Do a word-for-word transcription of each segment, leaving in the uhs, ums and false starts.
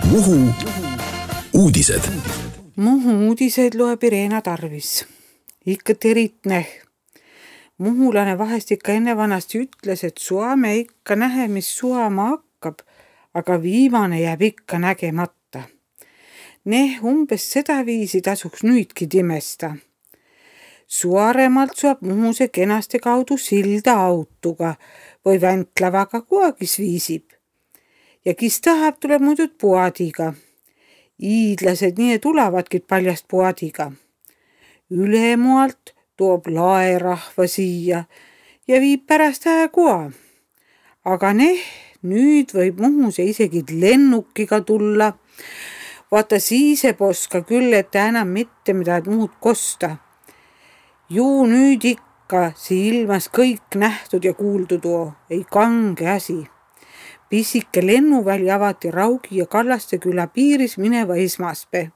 Muhu uudised. Muhu uudised loeb Irena Tarvis. Ikka teritne. Muhulane vahest ikka enne vanasti ütles, et suame ikka nähe, mis suama hakkab, aga viimane jääb ikka nägemata. Neh umbes seda viisi tasuks nüüdki timesta. Suaremalt suab Muhuse kenaste kaudu silda autoga või väntlavaga kuagis viisib. Ja kis tahab, tuleb muidud puadiga. Iidlased nii tulavadki paljast puadiga. Ülemualt toob laerahva siia ja viib pärast hääkoa. Aga neh, nüüd võib Muhuse isegi lennukiga tulla. Vaata siise poska küll, et enam mitte midagi muud kosta. Juu nüüd ikka silmas kõik nähtud ja kuuldud oo, ei kange asi. Pisike lennuväli avati Raugi ja Kallaste küla piiris mineva esmaspäev.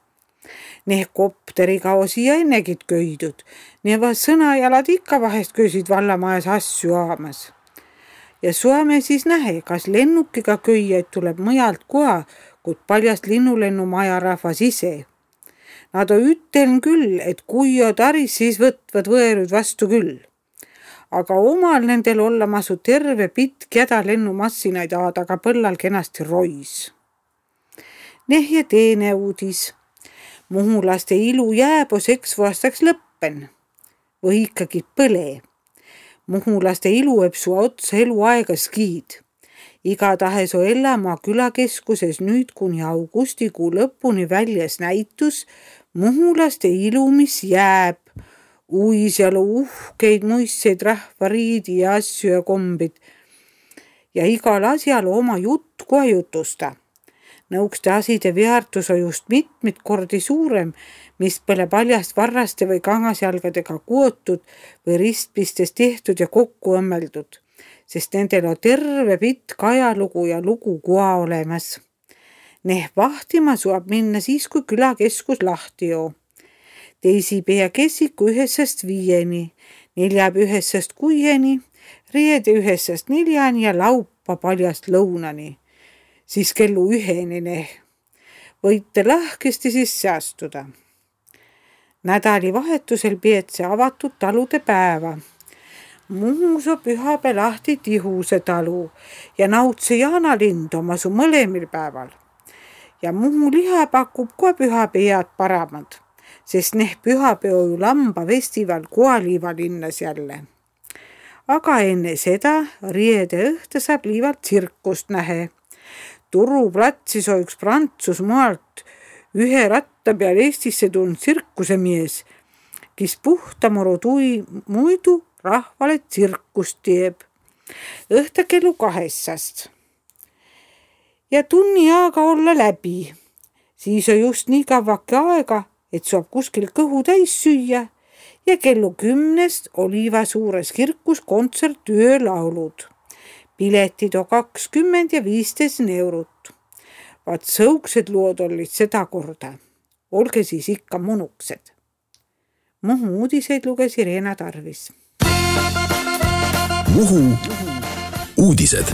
Neh kopteriga osi ja ennegid köidud. Neva sõnajalad ikka vahest köisid vallamajas asju aamas. Ja suame siis nähe, kas lennukiga köijaid tuleb mõjalt koha, kuid paljast linnulennu maja rahvas ise. Nad on üteln küll, et kui on taris, siis võtvad võerud vastu küll. Aga omal nendel olla masu terve pitk jäda lennumassinaid aadaga põllal kenasti rois. Neh ja teine uudis. Muhulaste ilu jääb seks aastaks lõppen. Või ikkagi põle. Muhulaste ilu võib su otsa eluaega skiid. Igatahes on Ellamaa külakeskuses nüüd kuni augustikuu lõpuni väljas näitus Muhulaste ilu, mis jääb. Uisjalu uhkeid muistseid rahvariidi ja asju ja kombid. Ja igal asjal oma jutt kohe jutusta. Nõukste aside väärtus on just mitmit kordi suurem, mis pole paljast varraste või kangasjalgadega kuotud või ristpistes tehtud ja kokku õmmeldud, sest nendel on terve pitk ajalugu ja lugu koha olemas. Neh vahtima suab minna siis, kui külakeskus lahti joo. Teisipea kessiku ühesest viieni, neljab ühesest kuieni, reede ühesest neljani ja laupa paljast lõunani. Siis kellu üheni neh. Võite lahkesti sisse astuda. Nädali vahetusel peetse avatud talude päeva. Muhus on pühapäev lahti Tihuse talu ja Nautse Jaanalind oma su mõlemil päeval. Ja Muhu liha pakub kohe pühapäevad paramad, sest neh pühapäev ju lamba festival Koaliiva linnas jälle. Aga enne seda riede õhta saab liivalt tsirkust nähe. Turuplatsis on üks Prantsusmaalt ühe ratta peal Eestisse tulnud tsirkusemies, kes puhtamuru tui muidu rahvale tsirkust teeb. Õhta kellu kahessast. Ja tunni aega olla läbi. Siis on just nii kavvake aega, et saab kuskil kõhu täis süüa ja kellu kümnest Oliiva suures kirkus kontsert öölaulud. Piletid on kakskümmend ja viisteist eurot. Vaat sõuksed lood olid seda korda. Olge siis ikka munuksed. Muhu uudiseid luges Irena Tarvis. Muhu uudised.